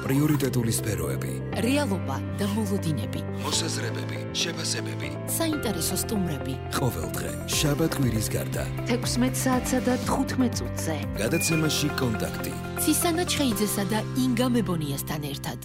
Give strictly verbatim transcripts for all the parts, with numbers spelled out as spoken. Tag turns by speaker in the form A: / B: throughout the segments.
A: პრიორიტეტული სფეროები,
B: რეალობა და მოლოდინები,
A: მოსაზრებები, შეფასებები,
B: საინტერესო სტუმრები.
A: ყოველდღე შაბათ-კვირის გარდა
B: თექვსმეტ საათსა და თხუთმეტ წუთზე.
A: გადაცემაში კონტაქტი.
B: ცისანა ჩხეიძესა და ინგა მებონიასთან ერთად.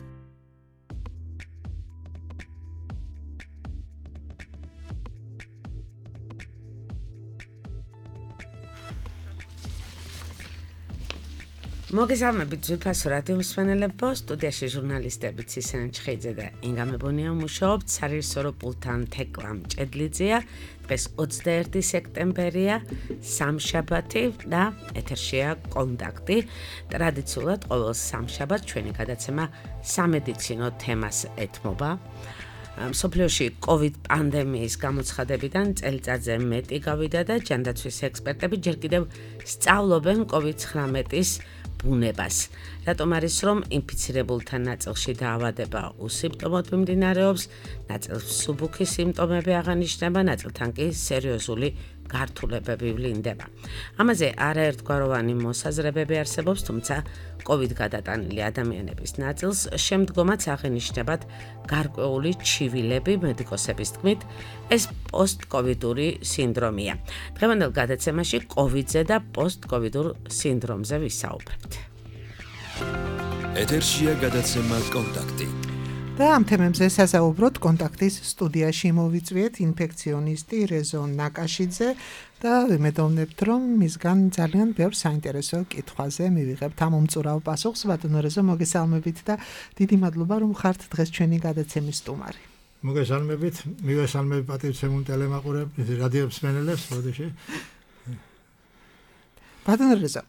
C: მოგესალმებით ძვირფასო რადიო მსმენელებო, სტუდიაში ჟურნალისტები ცისანა ჩხეიძე და ინგა მებონია მუშაობთ, სარეჟისორო პულტთან თეკლა მჭედლიძეა. დღეს ოცდაერთი სექტემბერია, სამშაბათი და ეთერშია კონტაქტი. ტრადიციულად ყოველ სამშაბათს ჩვენი გადაცემა სამედიცინო თემას ეთმობა. მსოფლიოში COVID პანდემიის გამოცხადებიდან წელიწადზე მეტი გავიდა და ჯანდაცვის ექსპერტები ჯერ კიდევ სწავლობენ COVID ცხრამეტის ბუნებას. რატომ არის რომ ინფიცირებულთა ნაწილში დაავადება უსიმპტომოდ მიმდინარეობს, ნაწილს მსუბუქი სიმპტომები აღანიშნება, ნაწილთან კი სერიოზული გართულებები ვლინდება. ამაზე არაერთგვაროვანი მოსაზრებები არსებობს, თუმცა COVID გადატანილი ადამიანების ნაწილს შემდგომაც აღენიშნებათ გარკვეული ჩივილები. მედიკოსების თქმით, ეს პოსტ-კოვიდური სინდრომია. დღევანდელ გადაცემაში COVID-ზე და პოსტ-კოვიდურ სინდრომზე ვისაუბრებთ.
A: ეთერშია გადაცემა კონტაქტი.
D: და ამ თემებზე სასაუბროთ კონტაქტის სტუდიაში მოვიწვიეთ ინფექციონისტი რეზო ნაკაშიძე და ვიმედოვნებთ, რომ მისგან ძალიან ბევრ საინტერესო კითხვაზე მივიღებთ ამ უმწურავ პასუხს. ბატონო რეზო, მოგესალმებით და დიდი მადლობა, რომ ხართ დღეს ჩვენი გადაცემის სტუმარი.
E: მოგესალმებით, მივესალმები პატივცემულ ტელემაყურებლებს, რადიო მსმენელებს, მოდიში.
D: ბატონო რეზო,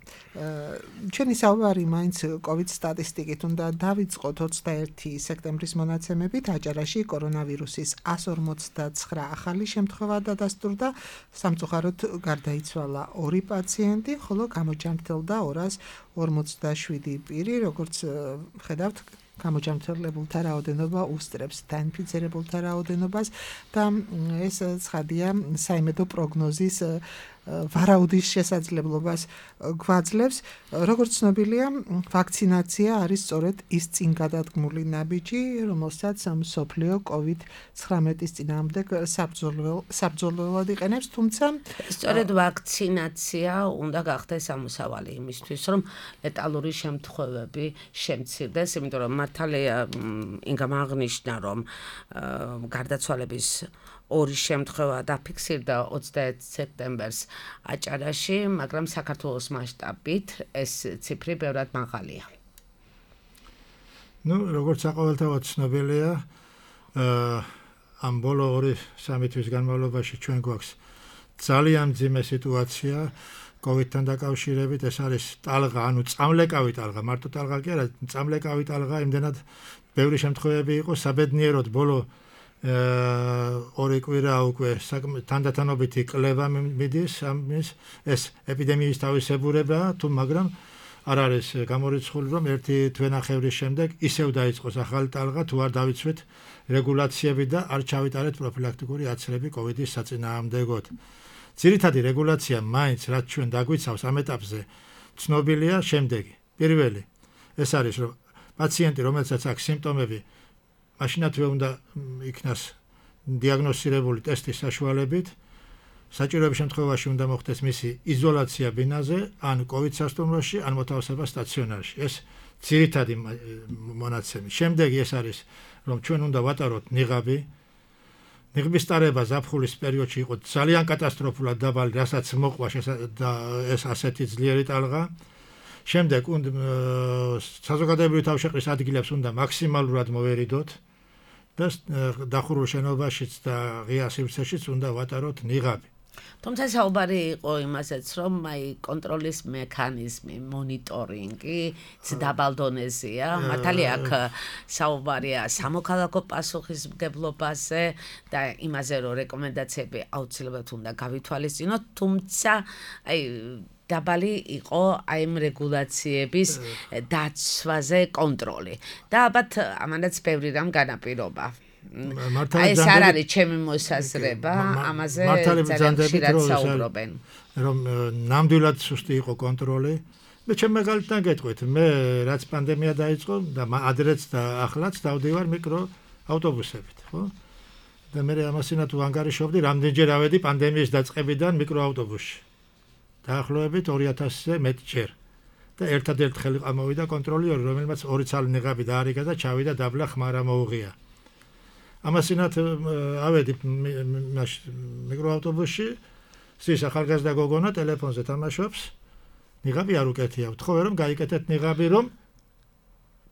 D: ჩვენი საუბარი მაინც COVID სტატისტიკით უნდა დავიწყოთ. ოცდაერთი სექტემბრის მონაცემებით აჭარაში კორონავირუსის εκατს ორმოცდაცხრა ახალი შემთხვევა დადასტურდა, სამწუხაროდ გარდაიცვალა ორი პაციენტი, ხოლო გამოჯანმრთელდა ორას ორმოცდაშვიდი პირი, როგორც ხედავთ, გამოჯანმრთელებულთა რაოდენობა უსწრებს დაინფიცირებულთა რაოდენობას და ეს ცხადია საიმედო პროგნოზის ვარაუდის შესაძლებლობას გვაძლევს. როგორც ცნობილია, ვაქცინაცია არის სწორედ ის წინ გადადგმული ნაბიჯი, რომელსაც მსოფლიო COVID ცხრამეტის წინააღმდეგ საბრძოლველად იყენებს, თუმცა
C: სწორედ ვაქცინაცია უნდა გახდეს ამოსავალი იმისთვის, რომ ლეტალური შემთხვევები შემცირდეს, იმიტომ რომ მართალია ინგამ აღნიშნა, რომ გარდაცვალების ორი შემთხვევა დაფიქსირდა ოცდაერთ სექტემბერს აჭარაში, მაგრამ საქართველოს მასშტაბით ეს ციფრი ბევრად მაღალია.
E: ნუ, როგორც საყოველთაოდ ცნობილია, ამ ბოლო ორი სამი თვის განმავლობაში ჩვენ გვაქვს ძალიან მძიმე სიტუაცია COVID-თან დაკავშირებით. ეს არის ტალღა, ანუ წამლეკავი ტალღა, მარტო ტალღა კი არა, წამლეკავი ტალღა, იმდენად ბევრი შემთხვევები იყო, საბედნიეროდ ბოლო ორი კვირა უკვე თანდათანობითი კლება მიდის ამის, ეს ეპიდემიის თავისებურებაა, თუ მაგრამ არ არის გამორიცხული, რომ ერთი თვენახევრის შემდეგ ისევ დაიწყოს ახალი ტალღა, თუ არ დავიცვით რეგულაციები და არ ჩავიტარეთ პროფილაქტიკური აცრები COVID-ის საწინააღმდეგოდ. ძირითადი რეგულაცია მაინც, რაც ჩვენ დაგვიცავს ამ ეტაპზე, ცნობილია შემდეგი. პირველი, ეს არის, რომ პაციენტი, რომელსაც აქვს სიმპტომები, მაშინათვე უნდა იქნას დიაგნოსტირებული ტესტის საშუალებით, საჭიროების შემთხვევაში უნდა მოხდეს მისი იზოლაცია ბინაზე, ან COVID სასტუმროში, ან მოთავსება სტაციონარში. ეს ძირითადი მონაცემი. შემდეგი ეს არის, რომ ჩვენ უნდა ვატაროთ ნიღაბი. ნიღბის ტარება ზაფხულის პერიოდში იყო ძალიან კატასტროფულად დაბალი, რასაც მოყვა ეს ასეთი ძლიერი ტალღა. შემდეგ საზოგადოებრივი თავშეყრის ადგილებს უნდა მაქსიმალურად მოვერიდოთ და დახურულ შენობაშიც და ღია სივრცეშიც უნდა ვატაროთ ნიღაბი.
C: თუმცა საუბარი იყო იმასაც, რომ აი კონტროლის მექანიზმი, მონიტორინგი დაბალ დონეზეა. მართალია აქ საუბარია სამოქალაქო პასუხისმგებლობაზე და იმაზე, რომ რეკომენდაციები აუცილებლად უნდა გავითვალისწინოთ, თუმცა აი დაბალი იყო აი ამ რეგულაციების დაცვაზე კონტროლი. და ალბათ ამანაც ბევრი რამ განაპირობა. აი ეს არ არის ჩემი მოსაზრება, ამაზე ძალიან ხშირად საუბრობენ.
E: რომ ნამდვილად სუსტი იყო კონტროლი მე ჩემ მაგალითთან გეტყვით, მე რაც პანდემია დაიწყო და ადრეც და ახლაც დავდივარ მიკროავტობუსებით, ხო? და მე ამასინა თუ ანგარიშობდი, რამდენჯერ ავედი პანდემიის დაწყებიდან მიკროავტობუსში. დაახლოებით ორი ათასზე მეტჯერ. და ერთადერთ ხელი ამოვიდა კონტროლიორი, რომელმაც ორი ცალი ნიღაბი დაარიგა და ჩავიდა დაბლა ხმარა მოუღია. ამასინათ ავედი მიკროავტობუსში, სის ახალგაზრდა გოგონა ტელეფონზე თამაშობს. ნიღაბი არ უკეთია. ვთხოვე რომ გაიკეთეთ ნიღაბი რომ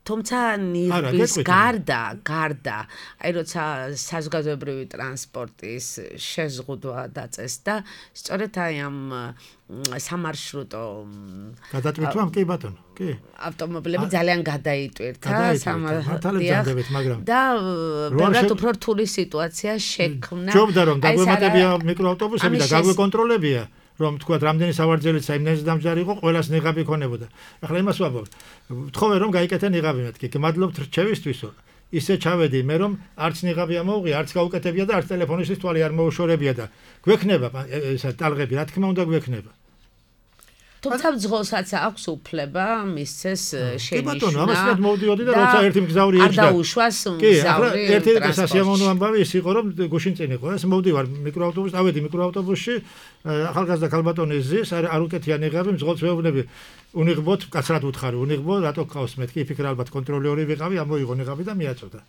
C: თუმცა ნიღბის გარდა, გარდა, აი როცა საზოგადოებრივი ტრანსპორტის შეზღუდვა დაწესდა, სწორედ აი ამ სამარშრუტო
E: გადატვირთვა კი ბატონო, კი.
C: ავტომობილები ძალიან გადაიტვირთა
E: სამართალებს, მაგრამ
C: და ბევრად უფრო რთული სიტუაცია შექმნა.
E: ჯობდა რომ დაგვემატებია მიკროავტობუსები და გაგვეკონტროლებია. რომ თქვა რამდენი სავარძელიც საიმნეზე დამჯარი იყო, ყველას ნიღაბი ქონებოდა. ახლა იმას ვამბობ. ვთხოვე რომ გაიკეთე ნიღაბი მეთქი. გმადლობთ რჩევისთვისო. ისე ჩავედი მე რომ არც ნიღაბი ამოუღია, არც გაუკეთებია და არც ტელეფონისთვის თვალი არ მოუშორებია და გვექნება ესა ტალღები, რა თქმა უნდა გვექნება.
C: თუმცა მძღოლსაც აქვს უფლება მისცეს შენიშვნა.
E: კი ბატონო, ამასაც მოვდიოდი და როცა ერთი მგზავრი ეჭდა.
C: არ დაუშვას მგზავრი.
E: კი, ერთი სასიამოვნო ამბავი ის იყო რომ გუშინ წინ იყო. ეს მოვდივარ მიკროავტობუსში, ავედი მიკროავტობუსში, ახალგაზრდა ქალბატონი ზის, არ უკეთია ნიღაბი, მძღოლს ვეუბნები. უნიღბოთ, კაცრად უთხარი, უნიღბო, რატო გყავს მეთქი, იფიქრე ალბათ კონტროლერი ვიყავი, ამოიღო ნიღაბი და მიაწოდა.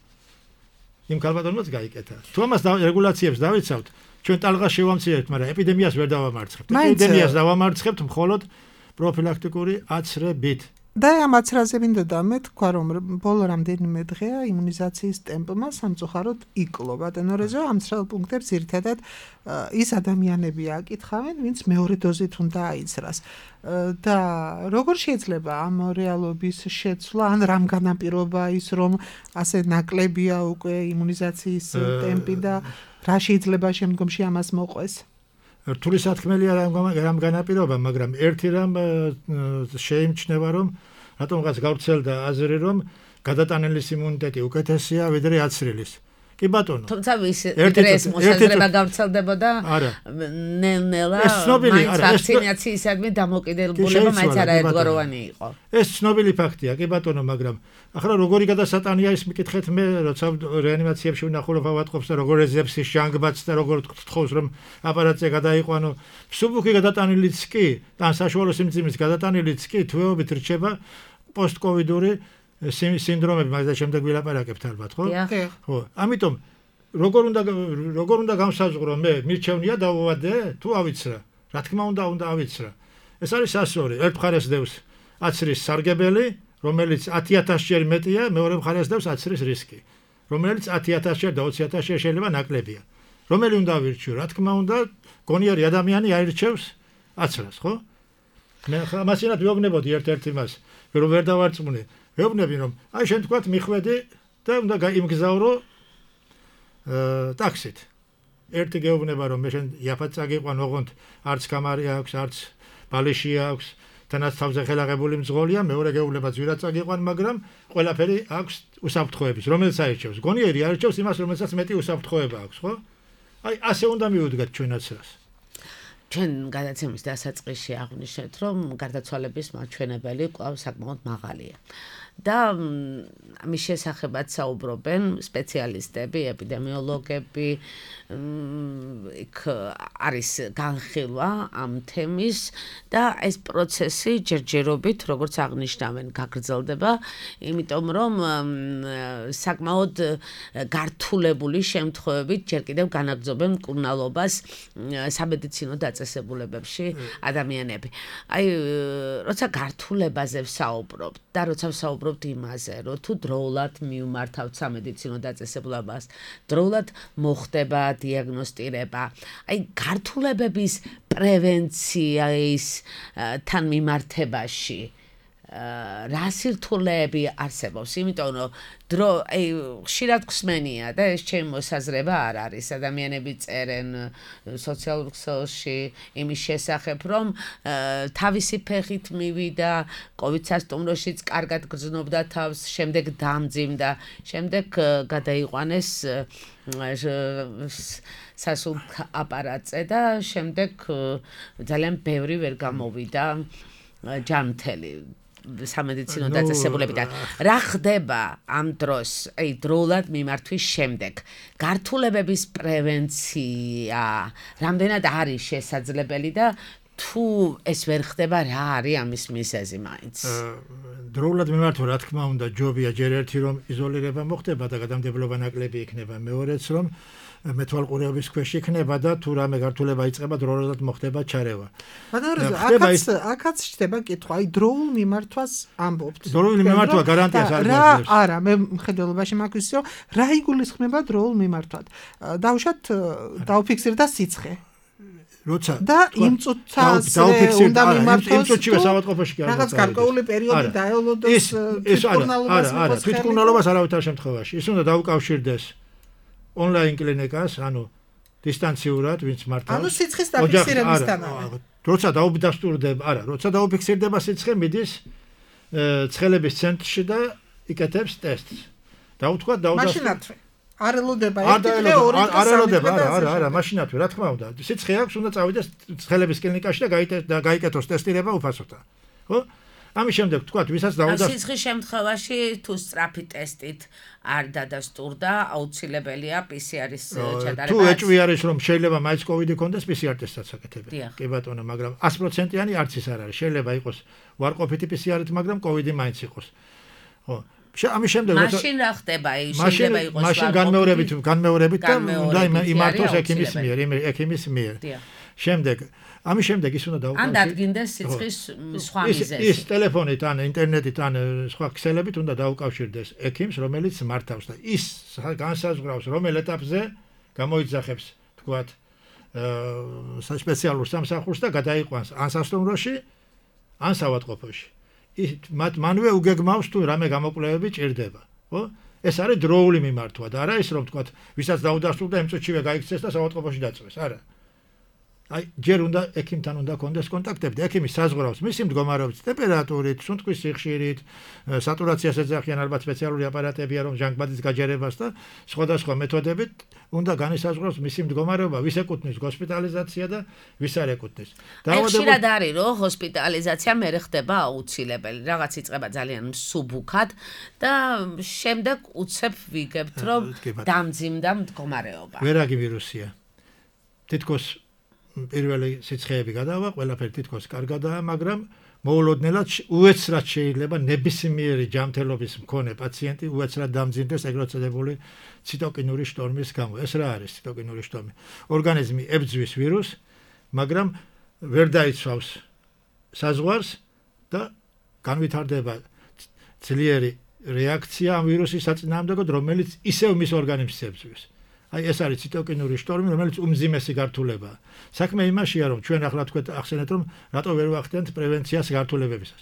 E: იმ ქალბატონმაც გაიკეთა. თუ ამას რეგულაციებს დავიცავთ, ჩვენ ტალღას შევამცირებთ, მაგრამ ეპიდემიას ვერ დავამარცხებთ. ეპიდემიას დავამარცხებთ მხოლოდ პროფილაქტიკური აცრებით.
D: და ამ აცრაზე მინდოდა მე თქვა რომ ბოლო რამდენიმე დღეა იმუნიზაციის ტემპმა სამწუხაროდ იკლო. ბატონო რეზო ამ ცრალ პუნქტებს ძირითადად ის ადამიანები აკითხავენ, ვინც მეორე დოზით უნდა აიცრას. და როგორ შეიძლება ამ რეალობის შეცვლა, ან რამ განაპირობა ის რომ ასე ნაკლებია უკვე იმუნიზაციის ტემპი და რა შეიძლება შემდგომში ამას მოყვეს?
E: რთული სათქმელია რამ განაპირობა, მაგრამ ერთი რამ შეიმჩნევა რომ რატომღაც გავრცელდა აზრი რომ გადატანილის იმუნიტეტი უკეთესია ვიდრე აცრილის. კი ბატონო.
C: თუმცა ვის ეს მოსაზრება გავრცელდებოდა ნელ-ნელა მაინც ვაქცინაციისადმი დამოკიდებულება მაინც არაერთგვაროვანი იყო.
E: ეს ცნობილი ფაქტია, კი ბატონო, მაგრამ ახლა როგორი გადასატანია ის მიკითხეთ მე, როცა რეანიმაციებში ვნახულობ ავატყოფს და როგორ ეძებს ის ჟანგბადს და როგორ თხოვს რომ აპარატზე გადაიყვანო. მსუბუქი გადატანილიც კი, ან საშუალო სიმძიმის გადატანილიც კი თვეობით რჩება პოსტკოვიდური სინდრომები, მაგას და შემდეგ ვილაპარაკებთ ალბათ, ხო? ხო. ამიტომ როგორ უნდა როგორ უნდა გამსაზღვრო მე მირჩევნია დავუვადე თუ ავიცრა? რა თქმა უნდა უნდა ავიცრა. ეს არის ასორი. ერთ მხარეს დევს აცრის სარგებელი, რომელიც ათი ათასჯერ მეტია, მეორე მხარეს დევს აცრის რისკი, რომელიც ათი ათასჯერ და ოცი ათასჯერ შეიძლება ნაკლებია. რომელი უნდა ავირჩიო? რა თქმა უნდა, გონიერი ადამიანი აირჩევს აცრას, ხო? მე მასინათ ვეუბნებოდი ერთ-ერთ იმას, რომ ვერ დავარწმუნე. ვეუბნები რომ აი შენ თქვათ მიხვედი და უნდა იმგზავრო ტაქსით. ერთი გეუბნება რომ მე შენ იაფად წაგიყვან, ოღონდ არც კამარი აქვს, არც ბალეში აქვს, თანაც თავზე ხელაღებული მძღოლია, მეორე გეუბნება ძვირად წაგიყვან, მაგრამ ყველაფერი აქვს უსაფრთხოების, რომელიც აირჩევს. გონიერი აირჩევს იმას, რომელსაც მეტი უსაფრთხოება აქვს, ხო? აი ასე უნდა მივუდგეთ ჩვენაც რას.
C: ჩვენ გადაცემის დასაწყისში აღვნიშნეთ, რომ გარდაცვალების მაჩვენებელი კვლავ საკმაოდ მაღალია. და ამის შესახებაც საუბრობენ სპეციალისტები, ეპიდემიოლოგები, იქ არის განხილვა ამ თემის და ეს პროცესი ჯერჯერობით, როგორც აღნიშნავენ, გაგრძელდება, იმიტომ რომ საკმაოდ გართულებული შემთხვევებით ჯერ კიდევ განაგრძობენ მკურნალობას სამედიცინო დაწესებულებებში ადამიანები. აი, როცა გართულებაზე ვსაუბრობთ და როცა ვსაუბრობთ იმაზე, რომ თუ დროულად მივმართავთ სამედიცინო დაწესებულებას, დროულად მოხდება დიაგნოსტირება, აი გართულებების პრევენციის თან მიმართებაში რა სირთულეები არსებობს, იმიტომ რომ დრო აი ხშირად ხსმენია და ეს ჩემი მოსაზრება არ არის. ადამიანები წერენ სოციალურ ქსელში იმის შესახებ, რომ თავისი ფეხით მივიდა, კოვიდ სასტუმროშიც კარგად გრძნობდა თავს, შემდეგ დამძიმდა, შემდეგ გადაიყვანეს სასულ აპარატზე და შემდეგ ძალიან ბევრი ვერ გამოვიდა ჯანმრთელი სამედიცინო დაწესებულებიდან. რა ხდება ამ დროს, აი დროულად მიმართვის შემდეგ? გართულებების პრევენცია რამდენად არის შესაძლებელი და თუ ეს ვერ ხდება, რა არის ამის მიზეზი მაინც?
E: დროულად მიმართვა, რა თქმა უნდა, ჯობია ჯერ ერთი რომ იზოლირება მოხდება და გადამდებლობა ნაკლები იქნება, მეორეც რომ მეთვალყურეობის ქვეშ იქნება და თუ რამე გართულება იწყება, დროულად მოხდება ჩარევა.
D: აქაც აქაც ხდება კითხვა, აი დროულ მიმართვას ამბობთ.
E: დროული მიმართვა გარანტიას არ
D: გვაძლევს. რა, არა, მე მხედველობაში მაქვს რომ რა იგულისხმება დროულ მიმართვად. დავუშვათ დაუფიქსირდა სიცხე.
E: როცა
D: და იმ წუთაზე უნდა მიმართოს
E: იმ წუთშივე საავადმყოფოში კი არ
D: რაღაც გარკვეული პერიოდი დაელოდოს თვითმკურნალობას.
E: არა, არა, თვითმკურნალობას არავითარ შემთხვევაში. ის უნდა დაუკავშირდეს ონლაინ კლინიკას, ანუ დისტანციურად, ვინც მართავს.
D: ანუ სიცხის დაფიქსირებისთანავე.
E: როცა დაუდასტურდება, არა, როცა დაუფიქსირდება სიცხე, მიდის ცხელების ცენტრში და იკეთებს ტესტს. და უთქვა დაუდასტურდება.
D: არ ელოდება ერთი დღე, ორი დღე,
E: არ ელოდება, არა, არა, არა, მაშინათვე, რა თქმა უნდა. სიცხე აქვს, უნდა წავიდეს ცხელების კლინიკაში და გაიკეთოს ტესტირება უფასოთა. ხო? ამის შემდეგ თქვათ, ვისაც დაუდასტურდა.
C: სიცხის შემთხვევაში თუ სწრაფი ტესტით არ დადასტურდა, აუცილებელია პი სი არის ჩატარება.
E: თუ ეჭვი არის, რომ შეიძლება მაინც კოვიდი ქონდეს, პი სი არ ტესტსაც აკეთებენ. კი ბატონო, მაგრამ sto პროცენტიანი არც ის არ არის. შეიძლება იყოს ვარყოფითი პი სი არით, მაგრამ კოვიდი მაინც იყოს. ხო. ამის შემდეგ
C: მაშინ რა ხდება? შეიძლება იყოს
E: მაშინ განმეორებით, განმეორებით და უნდა იმართოს ექიმის მიერ, ექიმის მიერ. შემდეგ ამის შემდეგ ის უნდა დაუკავშირდეს.
C: ან დადგინდეს სიცხის სხვა მიზეზი.
E: ის ტელეფონით ან ინტერნეტით ან სხვა ქსელებით უნდა დაუკავშირდეს ექიმს, რომელიც მართავს და ის განსაზღვრავს, რომელ ეტაპზე გამოიძახებს, თქვათ, სპეციალურ სამსახურს და გადაიყვანს ან სასტუმროში, ან საავადმყოფოში. ის მათ მანვე უგეგმავს თუ რამე გამოკვლევები ჭირდება, ხო? ეს არის დროული მიმართვა და არა ის რომ თქვათ, ვისაც დაუდასტურდა იმ წუთშივე გაიქცეს და საავადმყოფოში დაწვეს, არა. აი, ჯერ უნდა ექიმთან უნდა კონდეს კონტაქტები და ექიმი საზღვრავს მისი მდგომარეობის ტემპერატურით, სუნთქვის სიხშირით, სატურაციას ეძახიან ალბათ სპეციალური აპარატებია რომ ჟანგბადის გაჯერებას და სხვადასხვა მეთოდებით უნდა განისაზღვროს მისი მდგომარეობა, ვის ეკუთვნის ჰოსპიტალიზაცია და ვის არ ეკუთვნის.
C: ხშირად არის რომ ჰოსპიტალიზაცია მერე ხდება აუცილებელი, რაღაც იწყება ძალიან მსუბუქად და შემდეგ უცებ ვიგებთ რომ დამძიმდა მდგომარეობა.
E: ვერაგი ვირუსია. თითქოს პირველი სიცხეები გადავა, ყველაფერი თითქოს კარგადაა, მაგრამ მოულოდნელად უეცრად შეიძლება ნებისმიერი ჯანმრთელობის მქონე პაციენტი უეცრად დამძიმდეს ეგრეთ წოდებული ციტოკინური შტორმის გამო. ეს რა არის ციტოკინური შტორმი? ორგანიზმი ებძვის ვირუსს, მაგრამ ვერ დაიცვავს საზღვარს და განვითარდება ძლიერი რეაქცია ამ ვირუსის საწინააღმდეგოდ, რომელიც ისევ მის ორგანიზმს ებძვის. აი ეს არის ციტოკინური შტორმი, რომელიც უმძიმესი გართულებაა. საქმე იმაშია, რომ ჩვენ ახლა თქვენ ახსენეთ, რომ რატო ვერ ვახდენთ პრევენციას გართულებებისას.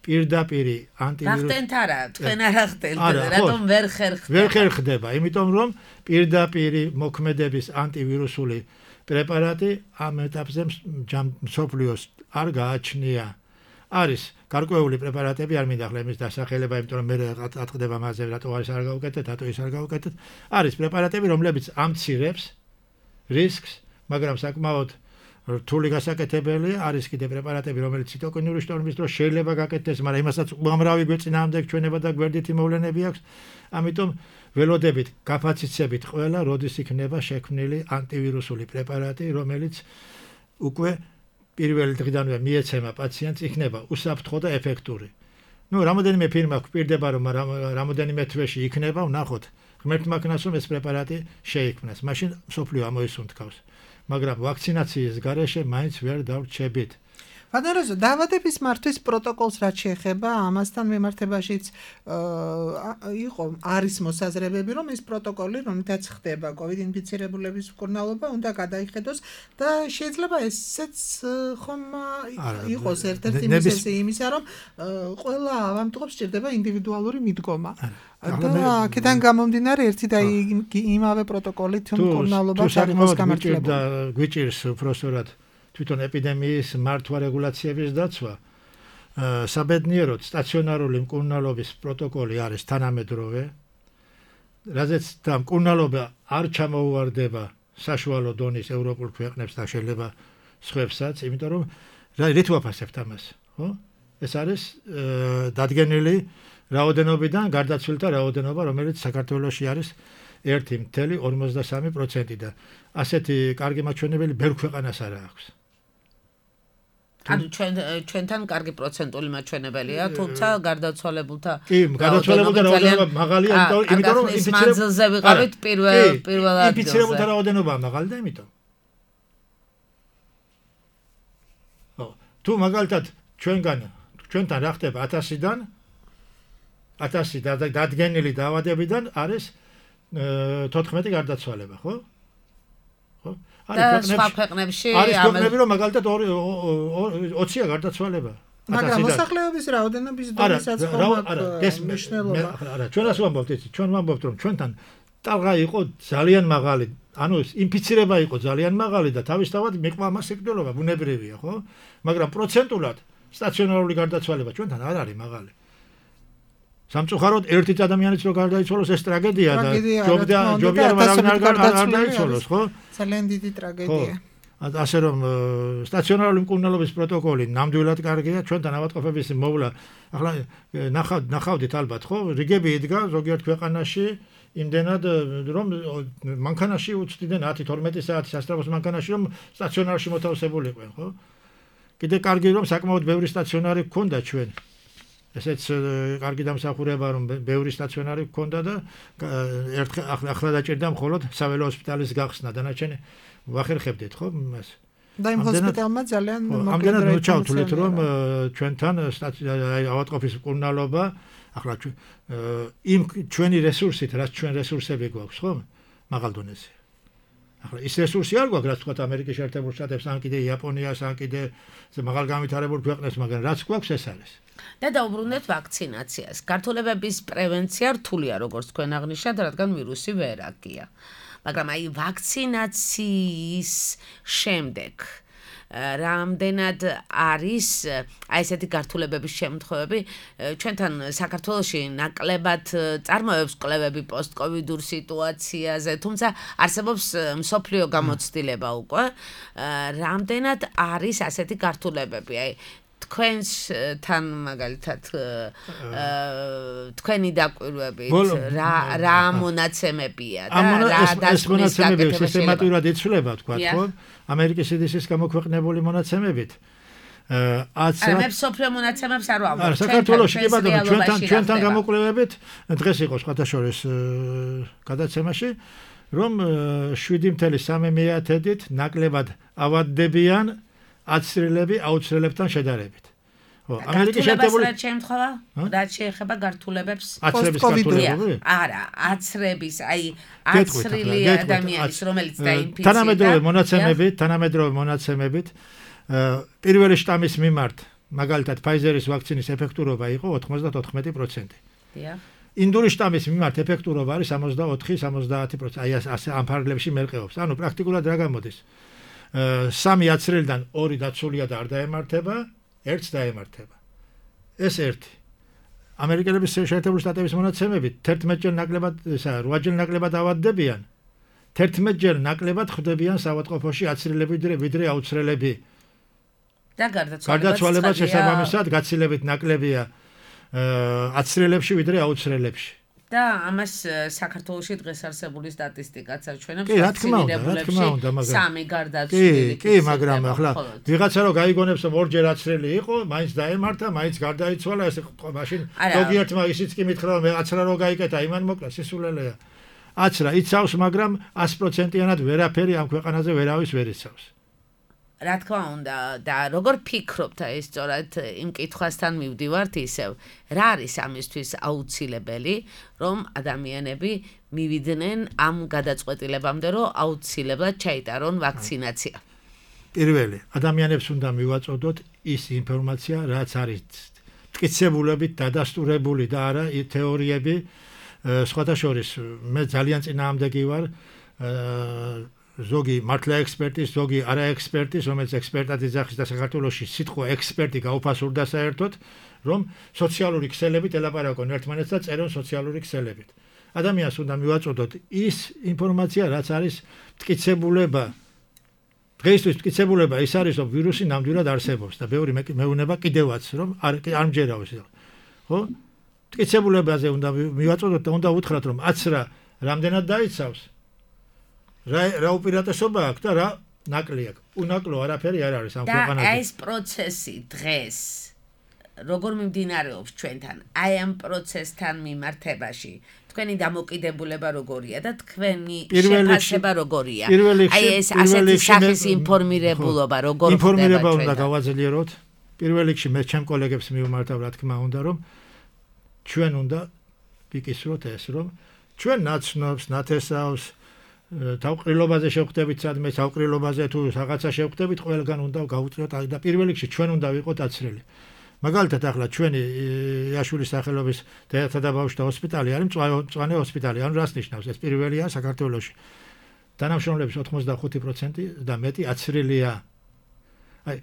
E: პირდაპირ ანტივირუსი
C: ვახდენთ არა, თქვენ არ ახდენთ, რატომ ვერ ხერხდება?
E: ვერ ხერხდება, იმიტომ რომ პირდაპირ მოქმედების ანტივირუსული პრეპარატი ამ ეტაპზე მსოფლიოს არ გააჩნია. არის გარკვეული პრეპარატები, არ მინდა ახლა იმის დასახელება, იმიტომ რომ მე ატყდება მასზე, რატო არის არ გავუკეთეთ, რატო ის არ გავუკეთეთ. არის პრეპარატები, რომლებიც ამცირებს რისკს, მაგრამ საკმაოდ რთული გასაკეთებელია. არის კიდე პრეპარატები, რომელიც ციტოკინური შტორმის დროს შეიძლება გაკეთდეს, მაგრამ იმასაც უამრავი გვეწინააღმდეგ ჩვენება და გვერდითი მოვლენები აქვს. ამიტომ ველოდებით, გაფაციცებით ყველა, როდის იქნება შექმნილი ანტივირუსული პრეპარატი, რომელიც უკვე პირველი დღიდანვე მიეცემა პაციენტს, იქნება უსაფრთხო და ეფექტური. ნუ რამოდენიმე ფირმა გვპირდება, რომ რამოდენიმე თვეში იქნება, ვნახოთ. ღმერთმა ქნას, რომ ეს პრეპარატი შეიქმნას. მაშინ მსოფლიო ამოისუნთქავს. მაგრამ ვაქცინაციის გარეშე მაინც ვერ დავრჩებით.
D: ბატონო, დაავადების მართვის პროტოკოლს რაც შეეხება, ამასთან მიმართებაშიც იყო არის მოსაზრებები, რომ ეს პროტოკოლი, რომლითაც ხდება კოვიდ ინფიცირებულების მკურნალობა, უნდა გადაიხედოს და შეიძლება ესეც ხომ იყოს ერთ-ერთი მიზეზი იმისა, რომ ყველა ავადმყოფს სჭირდება ინდივიდუალური მიდგომა. და აქედან გამომდინარე ერთი და იმავე პროტოკოლით მკურნალობა ჩარიცხვის გამართლება.
E: გვიჭირს უბრალოდ თვითონ ეპიდემიის მართვა რეგულაციების დაცვა. საბედნიეროდ სტაციონარული მკურნალობის პროტოკოლი არის თანამედროვე, რაზეც და მკურნალობა არ ჩამოუვარდება საშუალო დონის ევროპულ ქვეყნებს და შეიძლება სხვებსაც, იმიტომ რომ რით ვაფასებთ ამას, ხო? ეს არის დადგენილი რაოდენობიდან გარდაცვლილთა რაოდენობა, რომელიც საქართველოში არის ერთი წუთი ორმოცდასამი პროცენტი და ასეთი კარგი მაჩვენებელი ბევრ ქვეყანას არ აქვს.
C: ანუ ჩვენ ჩვენთან კარგი პროცენტული მაჩვენებელია, თუმცა გარდაცვალებულთა
E: კი, გარდაცვალებულთა რაოდენობა მაღალია, იმიტომ რომ
C: იმპიცირებულთა ვიყავით პირველ პირველ ადგილზე.
E: იმპიცირებულთა რაოდენობა მაღალი და იმიტომ. ხო, თუ მაგალითად ჩვენგან ჩვენთან რა ხდება ათასიდან ათასი დადგენილი დაავადებიდან არის თოთხმეტი გარდაცვალება, ხო? ხო?
C: არის სხვა ქვეყნებში
E: არის ქვეყნები რომ მაგალითად ოცია გარდაცვალება.
D: მაგრამ მოსახლეობის რაოდენობის დონესაც ხომ აქვს მნიშვნელობა.
E: არა, ჩვენ ასე ვამბობთ, იცი, ჩვენ ვამბობთ რომ ჩვენთან ტალღა იყო ძალიან მაღალი, ანუ ინფიცირება იყო ძალიან მაღალი და თავისთავად მიყვა მას სიკვდილობა, ბუნებრივია, ხო? მაგრამ პროცენტულად სტაციონარული გარდაცვალება ჩვენთან არ არის მაღალი. სამწუხაროდ ერთი ადამიანიც რო გარდაიცვალოს ეს ტრაგედია და ჯობდა ჯობია რომ არავინ არ გარდაიცვალოს, ხო?
D: ძალიან დიდი ტრაგედია.
E: ასე რომ სტაციონარული მკურნალობის პროტოკოლი ნამდვილად კარგია, ჩვენთან ავადმყოფების მოვლა, ახლა ნახავთ ნახავდით ალბათ, ხო? რიგები იდგა ზოგიერთ ქვეყანაში იმდენად რომ მანქანაში უცდიდნენ ათი თორმეტი საათი სასწრაფოს მანქანაში რომ სტაციონარში მოთავსებულიყვენ, ხო? კიდე კარგი რომ საკმაოდ ბევრი სტაციონარი გქონდა ჩვენ. ესეც კარგი დამსახურება რომ ბევრი სტაციონარი გქონდა და ერთხელ ახლა დაჭირდა მხოლოდ საველო ჰოსპიტალის გახსნა, დანარჩენი ვახერხებდით, ხო, მას.
D: და იმ ჰოსპიტალმა ძალიან
E: ამდენად მოჩავთვლით რომ ჩვენთან ავადმყოფის მკურნალობა ახლა იმ ჩვენი რესურსით, რაც ჩვენ რესურსები გვაქვს, ხო? მაღალ დონეზე. ახლა ის რესურსი არ გვაქვს, რაც თქვა ამერიკის შეერთებულ შტატებს, ან კიდე იაპონიას, ან კიდე მაღალ განვითარებულ ქვეყნებს, მაგრამ რაც გვაქვს ეს არის.
C: და დაუბრუნდეთ ვაქცინაციას. გართულებების პრევენცია რთულია, როგორც თქვენ აღნიშნეთ, რადგან ვირუსი ვერ აქია. მაგრამ აი ვაქცინაციის შემდეგ რამდენად არის აი ესეთი გართულებების შემთხვევები ჩვენთან საქართველოში ნაკლებად წარმოებს კვლევები პოსტკოვიდურ სიტუაციაზე, თუმცა არსებობს მსოფლიო გამოცდილება უკვე, რამდენად არის ასეთი გართულებები, აი თქვენთან მაგალითად თქვენი დაკვირვებით რა რა მონაცემებია და რა დასკვნის გაკეთება
E: სისტემატურად იცვლება, თქვა, ხო? ამერიკის სი დი სი-ის გამოქვეყნებული მონაცემებით.
C: არა, მე მსოფლიო მონაცემებს არ ვამბობ.
E: არა, საქართველოში კი ბატონო, ჩვენთან ჩვენთან გამოკვლევებით დღეს იყო სხვათა შორის გადაცემაში, რომ შვიდი წუთი სამი მეათედით ნაკლებად ავადდებიან აცრილები აუცრელებთან შედარებით.
C: ხო, ამერიკის შეერთებული შემთხვევა, რაც შეეხება გართულებებს
E: პოსტკოვიდური?
C: არა, აცრების, აი აცრილი ადამიანის, რომელიც დაინფიცირდა.
E: თანამედროვე მონაცემებით, თანამედროვე მონაცემებით, პირველი შტამის მიმართ, მაგალითად, Pfizer-ის ვაქცინის ეფექტურობა იყო ოთხმოცდათოთხმეტი პროცენტი.
C: დიახ.
E: ინდური შტამის მიმართ ეფექტურობა არის სამოცდაოთხი სამოცდაათი პროცენტი. აი ასე ამ ფარგლებში მერყეობს. ანუ პრაქტიკულად რა გამოდის? სამი აცრილიდან ორი დაცულია და არ დაემართება, ერთს დაემართება. ეს ერთი. ამერიკელების შეერთებული შტატების მონაცემებით თერთმეტჯერ ნაკლებად, ისა რვაჯერ ნაკლებად ავადდებიან. თერთმეტჯერ ნაკლებად ხვდებიან საავადმყოფოში აცრილები ვიდრე აუცრელები.
C: და
E: გარდაცვალება შესაბამისად გაცილებით ნაკლებია აცრილებში ვიდრე აუცრელებში.
C: და ამას საქართველოში დღეს არსებული სტატისტიკაც აჩვენებს,
E: კი, რა თქმა უნდა, რა თქმა უნდა, მაგრამ
C: სამი გარდაცვლილი.
E: კი, კი, მაგრამ ახლა ვიღაცა რო გაიგონებს რომ ორჯერ აცრელი იყო, მაინც დაემართა, მაინც გარდაიცვალა, ეს მაშინ ზოგიერთმა ისიც კი მითხრა რომ აცრა რო გაიკეთა, იმან მოკლა, სისულელეა. აცრა იცავს, მაგრამ ათი პროცენტიანად ვერაფერი ამ ქვეყანაზე ვერავის ვერ იცავს.
C: რა თქმა უნდა და როგორ ფიქრობთ აი სწორად იმ კითხვასთან მივდივართ ისევ რა არის ამისთვის აუცილებელი რომ ადამიანები მივიდნენ ამ გადაწყვეტილებამდე რომ აუცილებლად ჩაიტარონ ვაქცინაცია.
E: პირველი ადამიანებს უნდა მივაწოდოთ ის ინფორმაცია რაც არის მტკიცებულებით დადასტურებული და არა თეორიები. სხვათა შორის მე ძალიან წინააღმდეგი ვარ ზოგი მართლა ექსპერტის, ზოგი არა ექსპერტის, რომელიც ექსპერტად იძახის და საქართველოში სიტყვა ექსპერტი გაუფასურდა საერთოდ, რომ სოციალური ქსელებით ელაპარაკონ ერთმანეთს და წერონ სოციალური ქსელებით. ადამიანს უნდა მივაწოდოთ ის ინფორმაცია, რაც არის მტკიცებულება დღეისთვის მტკიცებულება ის არის, რომ ვირუსი ნამდვილად არსებობს და ბევრი მეუბნება კიდევაც, რომ არ არ მჯერავს. ხო? მტკიცებულებაზე უნდა მივაწოდოთ და უნდა უთხრათ, რომ აცრა რამდენად დაიცავს. რა რა უპირატესობა აქვს და რა ნაკლი აქვს. უნაკლო არაფერი არ არის ამ ქვეყანაზე.
C: და ეს პროცესი დღეს როგორ მიმდინარეობს ჩვენთან? აი ამ პროცესთან მიმართებაში თქვენი დამოკიდებულება როგორია და თქვენი შეფასება როგორია? აი ეს ასეთი სახის ინფორმირებულობა როგორ ხდება?
E: ინფორმირება უნდა გავაძლიეროთ. პირველ რიგში მე ჩემ კოლეგებს მივმართავ, რა თქმა უნდა, რომ ჩვენ უნდა ვიკისროთ ეს, რომ ჩვენ ნაცნობს, ნათესავს, თავყრილობაზე შევხვდებით სადმე, თავყრილობაზე თუ რაღაცა შევხვდებით, ყველგან უნდა გავუწიოთ და პირველ რიგში ჩვენ უნდა ვიყოთ აცრელი. მაგალითად ახლა ჩვენი იაშურის სახელობის დედათა და ბავშვთა ჰოსპიტალი არის მწვანე ჰოსპიტალი, ანუ რას ნიშნავს? ეს პირველია საქართველოში. თანამშრომლების ოცდახუთი პროცენტი და მეტი აცრელია. აი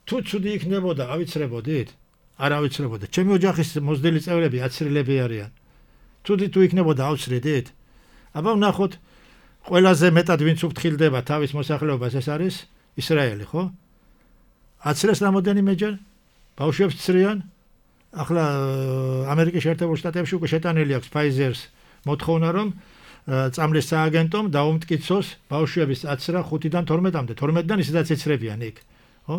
E: თუ ცუდი იქნებოდა, ავიცრებოდით? არ ავიცრებოდა. ჩემი ოჯახის მოზრდილი წევრები აცრელები არიან. ცუდი თუ იქნებოდა, ავცრიდით? აბა ვნახოთ, ყველაზე მეტად ვინც უფრთხილდება თავის მოსახლეობას, ეს არის ისრაელი, ხო? აცრეს რამოდენიმეჯერ ბავშვებს ცრიან. ახლა ამერიკის შეერთებულ შტატებში უკვე შეტანილი აქვს Pfizer-ს მოთხოვნა, რომ წამლის სააგენტომ დაუმტკიცოს ბავშვების აცრა ხუთიდან თორმეტამდე. თორმეტიდან ისედაც ეცრებიან იქ, ხო?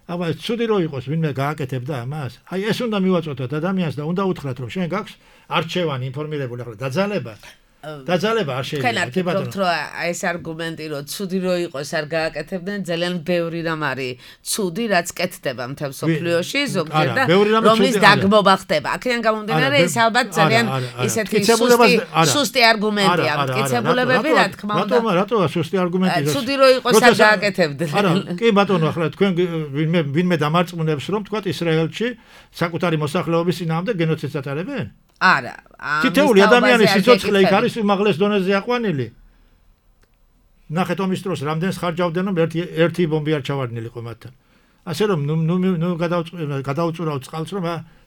E: აბა ცუდი რო იყოს, ვინმე გააკეთებდა ამას. აი ეს უნდა მივაწოდოთ ადამიანს და უნდა უთხრათ, რომ შენ გაქვს არჩევანი ინფორმირებული, ახლა დაძალება. დაძალება არ შეიძლება.
C: თქვენ ვფიქრობთ, რომ ეს არგუმენტი, რომ ცუდი რო იყოს, არ გააკეთებდნენ, ძალიან ბევრი რამ არის ცუდი, რაც კეთდება მთელ მსოფლიოში, ზოგჯერ და რომლის დაგმობა ხდება. აქედან გამომდინარე, ეს ალბათ ძალიან ისეთი სუსტი არგუმენტია. მტკიცებულებები, რა თქმა უნდა.
E: რატომ რატოა სუსტი არგუმენტი?
C: ცუდი რო იყოს, არ გააკეთებდნენ.
E: არა, კი ბატონო, ახლა თქვენ ვინმე ვინმე დამარწმუნებს, რომ თქვა ისრაელში საკუთარი მოსახლეობის წინააღმდეგ გენოციდს ატარებენ?
C: არა.
E: თითოეული ადამიანის სიცოცხლე იქ არის უმაღლეს დონეზე აყვანილი. ნახეთ ომის დროს რამდენს ხარჯავდნენ, რომ ერთი ერთი ბომბი არ ჩავარდნილიყო მათთან. ასე რომ ნუ ნუ გადაუწურავთ წყალს, რომ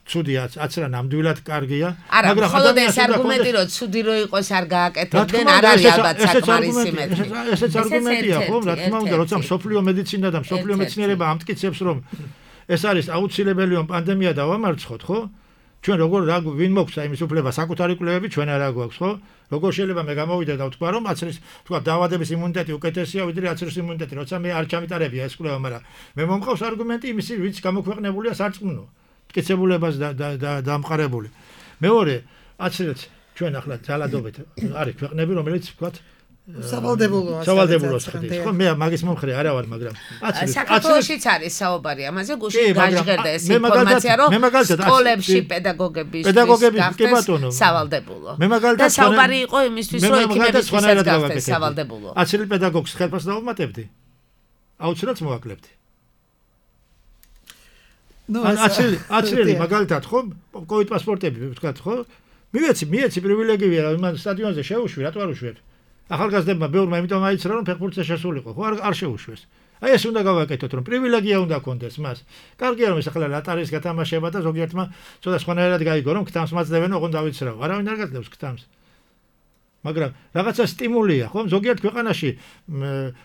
E: ცუდია, აცრა ნამდვილად კარგია,
C: მაგრამ მხოლოდ ეს არგუმენტი, რომ ცუდი რო იყოს, არ გააკეთებდნენ, არ არის ალბათ საკმარისი მეტი.
E: ესეც არგუმენტია, ხო? რა თქმა უნდა, როცა მსოფლიო მედიცინა და მსოფლიო მეცნიერება ამტკიცებს, რომ ეს არის აუცილებელი, რომ პანდემია დავამარცხოთ, ხო? ჩვენ როგორ რა ვინ მოგვცა იმის უფლება საკუთარი კვლევები ჩვენ არ აგვაქვს, ხო? როგორ შეიძლება მე გამოვიდე და ვთქვა, რომ აცრის თქვა დაავადების იმუნიტეტი უკეთესია ვიდრე აცრის იმუნიტეტი, როცა მე არ ჩამიტარებია ეს კვლევა, მაგრამ მე მომყავს არგუმენტი იმისი, ვინც გამოქვეყნებულია სარწმუნო, მტკიცებულებას და დამყარებული. მეორე, აცრიც ჩვენ ახლა ძალადობით არის ქვეყნები, რომელიც ვთქვათ
D: სავალდებულოა.
E: სავალდებულოა ხდება. ხო, მე მაგის მომხრე არა ვარ, მაგრამ
C: აცრიც საქართველოშიც არის საუბარი ამაზე, გუშინ გაჟღერდა ეს ინფორმაცია, რომ სკოლებში პედაგოგების სავალდებულო. და საუბარი იყო იმისთვის, რომ ექიმებისაც გახდეს სავალდებულო.
E: აცრილ პედაგოგს ხელფას დავუმატებდი? აუცილებლად მოვაკლებდი. ნუ აცრილი, აცრილი მაგალითად, ხო, კოვიდ პასპორტები ვთქვათ, ხო? მივეცი, მიეცი პრივილეგია, იმან სტადიონზე შევუშვი, რატო არ უშვებ? ახალგაზრდებმა ბევრმა იმიტომ აიცრა, რომ ფეხბურთზე შესულიყო, ხო? არ არ შეუშვეს. აი ეს უნდა გავაკეთოთ, რომ პრივილეგია უნდა კონდეს მას. კარგია რომ ეს ახლა ლატარის გათამაშება და ზოგიერთმა ცოტა სხვანაირად გაიგო, რომ ქთამს მაძლევენ, ოღონდ დავიცრავ. არავინ არ გაძლევს ქთამს. მაგრამ რაღაცა სტიმულია, ხო? ზოგიერთ ქვეყანაში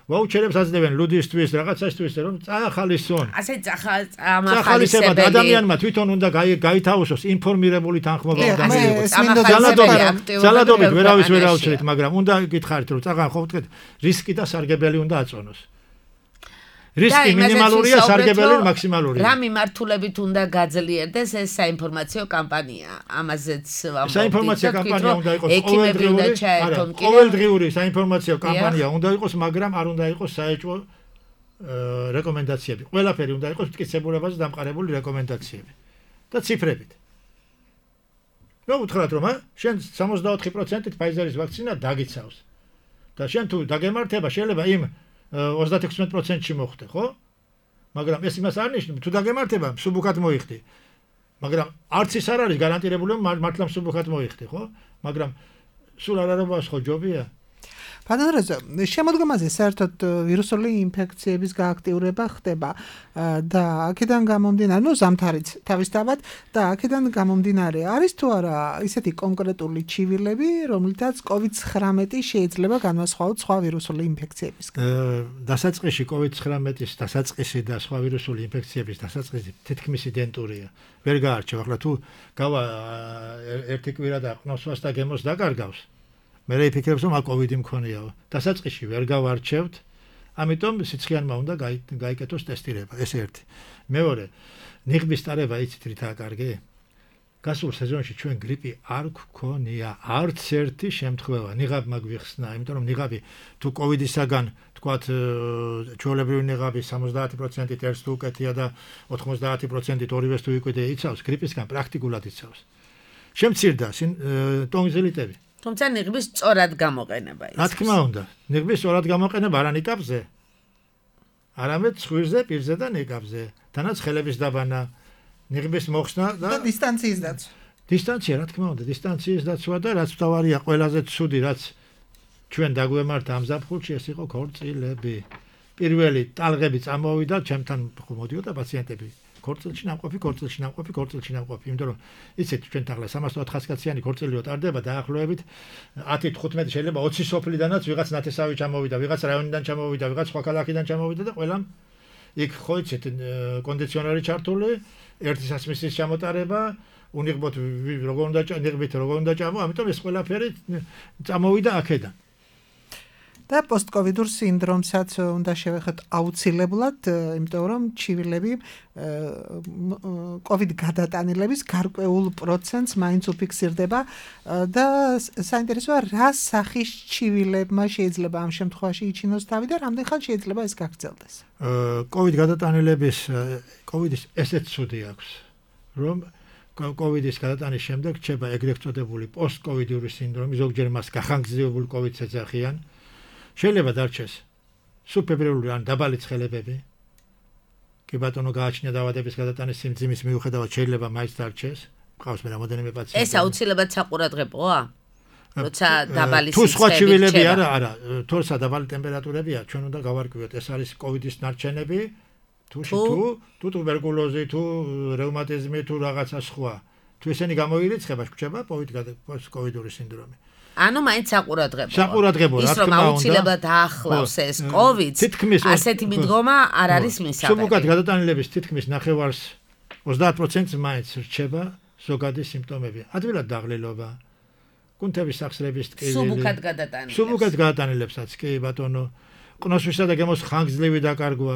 E: ვაუჩერებს აძლევენ ლუდისტვის, რაღაცასთვის, რომ წაახალისონ.
C: ასე წახალისებები.
E: ადამიანმა თვითონ უნდა გაითავისოს ინფორმირებული თანხმობა უნდა მიიღოს. ძალადობით ვერავის ვერ აუჩერეთ, მაგრამ უნდა გითხარით, რომ წაღან ხო ვთქვით, რისკი და სარგებელი უნდა აწონოს. რისკი მინიმალურია, სარგებელი მაქსიმალურია.
C: რა მიმართულებით უნდა გაძლიერდეს ეს საინფორმაციო კამპანია? ამაზეც ვამბობთ.
E: საინფორმაციო კამპანია უნდა იყოს ყოველდღიური, არა, ყოველდღიური საინფორმაციო კამპანია უნდა იყოს, მაგრამ არ უნდა იყოს საეჭვო რეკომენდაციები. ყველაფერი უნდა იყოს მტკიცებულებაზე დამყარებული რეკომენდაციები და ციფრებით. რა უთხრათ, რომ შენ სამოცდაოთხი პროცენტით Pfizer-ის ვაქცინა დაგიცავს. და შენ თუ დაგემართება, შეიძლება იმ ოცდაექვსი პროცენტში მოხდე, ხო? მაგრამ ეს იმას არ ნიშნავს, თუ დაგემართება, მსუბუქად მოიხდი. მაგრამ არც ის არ არის გარანტირებული, რომ მართლა მსუბუქად მოიხდი, ხო? მაგრამ სულ არ არაბას ხო ჯობია?
D: ბატონო, შემოდგომაზე საერთოდ ვირუსული ინფექციების გააქტიურება ხდება და აქედან გამომდინარე, ну ზამთარიც თავისთავად და აქედან გამომდინარე არის თუ არა ისეთი კონკრეტული ჩივილები, რომლითაც კოვიდ ცხრამეტი შეიძლება განვასხვაოთ სხვა ვირუსული ინფექციებისგან.
E: დასაწყისში კოვიდ ცხრამეტის დასაწყისი და სხვა ვირუსული ინფექციების დასაწყისი თითქმის იდენტურია. ვერ გაარჩევ, ახლა თუ გავა ერთი კვირა და ყნოსვას და გემოს დაკარგავს. მე ვიფიქრებ, რომ კოვიდი მქონიაო. დასაწყისში ვერ გავარჩევთ, ამიტომ სიცხიანმა უნდა გაიკეთოს ტესტირება, ეს ერთი. მეორე, ნიღბის ტარება იცით რითაა კარგი? გასულ სეზონში ჩვენ გრიპი არ გქონია, არც ერთი შემთხვევა. ნიღაბმა გვიხსნა, იმიტომ რომ ნიღაბი თუ კოვიდისაგან თქვათ ჩვეულებრივი ნიღაბი სამოცდაათი პროცენტით ერთს თუ უკეთია და ოთხმოცდაათი პროცენტით ორივეს თუ იკვეთე იცავს, გრიპისგან პრაქტიკულად იცავს. შემცირდა ტონზილიტები.
C: თუმცა ნიღბის სწორად გამოყენება იცავს.
E: რა თქმა უნდა, ნიღბის სწორად გამოყენება არა ნიკაპზე, არამედ ცხვირზე, პირზე და ნიკაპზე. თანაც ხელების დაბანა, ნიღბის მოხსნა და
D: დისტანციის დაცვა.
E: დისტანცია, რა თქმა უნდა, დისტანციის დაცვა და რაც თავარია, ყველაზე ცუდი, რაც ჩვენ დაგვემართა ამ ზაფხულში, ეს იყო ქორწილები. პირველი ტალღები წამოვიდა, ჩემთან მოდიოდა პაციენტები. ქორწილში ნამყოფი, ქორწილში ნამყოფი, ქორწილში ნამყოფი, იმიტომ რომ იცით, ჩვენ ახლა სამას ოთხასი კაციანი ქორწილიო ტარდება დაახლოებით ათი თხუთმეტი შეიძლება ოცი სოფლიდანაც ვიღაც ნათესავი ჩამოვიდა, ვიღაც რაიონიდან ჩამოვიდა, ვიღაც სხვა ქალაქიდან ჩამოვიდა და ყველამ იქ ხო იცით კონდიციონერი ჩართული, ერთი სასმისის ჩამოტარება, უნიღბოთ როგორ უნდა ნიღბით როგორ უნდა ჩამო, ამიტომ ეს ყველაფერი წამოვიდა აქედან.
D: და პოსტკოვიდურ სინდრომსაც უნდა შევეხოთ აუცილებლად, იმიტომ რომ ჩივილები კოვიდ გადატანილების გარკვეულ პროცენტს მაინც უფიქსირდება და საინტერესოა რა სახის ჩივილებმა შეიძლება ამ შემთხვევაში იჩინოს თავი და რამდენ ხანს შეიძლება ეს გაგრძელდეს.
E: კოვიდ გადატანილების კოვიდის ესეც ცუდი აქვს, რომ კოვიდის გადატანის შემდეგ რჩება ეგრეთ წოდებული პოსტკოვიდური სინდრომი, ზოგჯერ მას გახანგრძლივებული კოვიდს ეძახიან. შეიძლება დარჩეს სუბფებრილური ან დაბალი ცხელებები. კი ბატონო გააჩნია დაავადების გადატანის სიმძიმის მიუხედავად შეიძლება მაინც დარჩეს. ყავს მე რამოდენიმე პაციენტი.
C: ეს აუცილებლად საყურადღებოა? როცა დაბალი
E: თუ სხვა ჩივილები არა, არა, თორსა დაბალი ტემპერატურებია, ჩვენ უნდა გავარკვიოთ, ეს არის კოვიდის ნარჩენები, თუ თუ თუ ტუბერკულოზი, თუ რევმატიზმი, თუ რაღაცა სხვა. თუ ესენი გამოირიცხება, გვჭება კოვიდური სინდრომი.
C: ანუ მაინც საყურადღებოა.
E: საყურადღებოა, რა თქმა უნდა.
C: ის რომ აუცილებლად ახლავს ეს კოვიდს, ასეთი მიდგომა არ არის მისაღები.
E: სუბუქად გადატანილების თითქმის ნახევარს ოცდაათ პროცენტს მაინც რჩება ზოგადი სიმპტომები. ადვილად დაღლილობა, კუნთების სახსრების ტკივილი.
C: სუბუქად გადატანილებს.
E: სუბუქად გადატანილებსაც კი ბატონო, ყნოსვისა და გემოს ხანგრძლივი დაკარგვა.